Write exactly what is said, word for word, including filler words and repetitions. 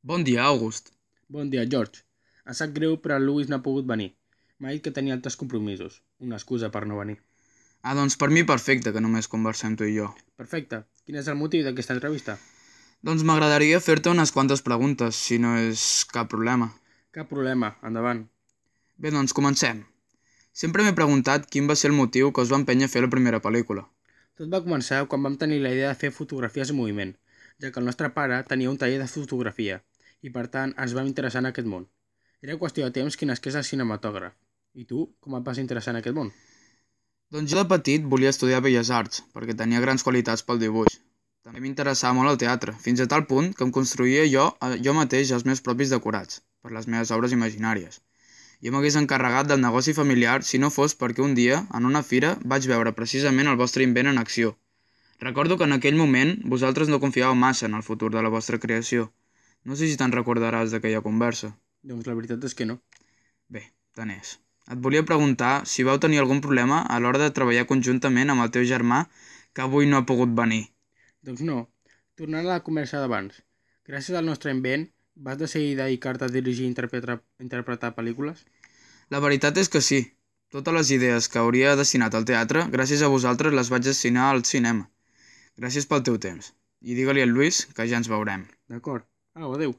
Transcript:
Bon dia, August. Bon dia, George. Em sap greu, però el Lewis no ha pogut venir. M'ha dit que tenia altres compromisos. Una excusa per no venir. Ah, doncs per mi perfecte que només conversem tu i jo. Perfecte. Quin és el motiu d'aquesta entrevista? Doncs m'agradaria fer-te unes quantes preguntes, si no és cap problema. Cap problema. Endavant. Bé, doncs comencem. Sempre m'he preguntat quin va ser el motiu que us va empènyer a fer la primera pel·lícula. Tot va començar quan vam tenir la idea de fer fotografies en moviment, ja que el nostre pare tenia un taller de fotografia i, per tant, ens vam interessar en aquest món. Era qüestió de temps que nasqués el cinematògraf. I tu, com et vas interessar en aquest món? Doncs jo de petit volia estudiar Belles Arts, perquè tenia grans qualitats pel dibuix. També m'interessava molt el teatre, fins a tal punt que em construïa jo, jo mateix els meus propis decorats, per les meves obres imaginàries. Jo m'hagués encarregat del negoci familiar si no fos perquè un dia, en una fira, vaig veure precisament el vostre invent en acció. Recordo que en aquell moment vosaltres no confiàveu massa en el futur de la vostra creació. No sé si te'n recordaràs d'aquella conversa. Doncs la veritat és que no. Bé, tant és. Et volia preguntar si vau tenir algun problema a l'hora de treballar conjuntament amb el teu germà que avui no ha pogut venir. Doncs no. Tornant a la conversa d'abans. Gràcies al nostre invent, vas decidir dedicar-te a dirigir i interpretar, interpretar pel·lícules? La veritat és que sí. Totes les idees que hauria destinat al teatre, gràcies a vosaltres les vaig destinar al cinema. Gràcies pel teu temps. I digue-li al Lluís que ja ens veurem. D'acord. Au, adeu.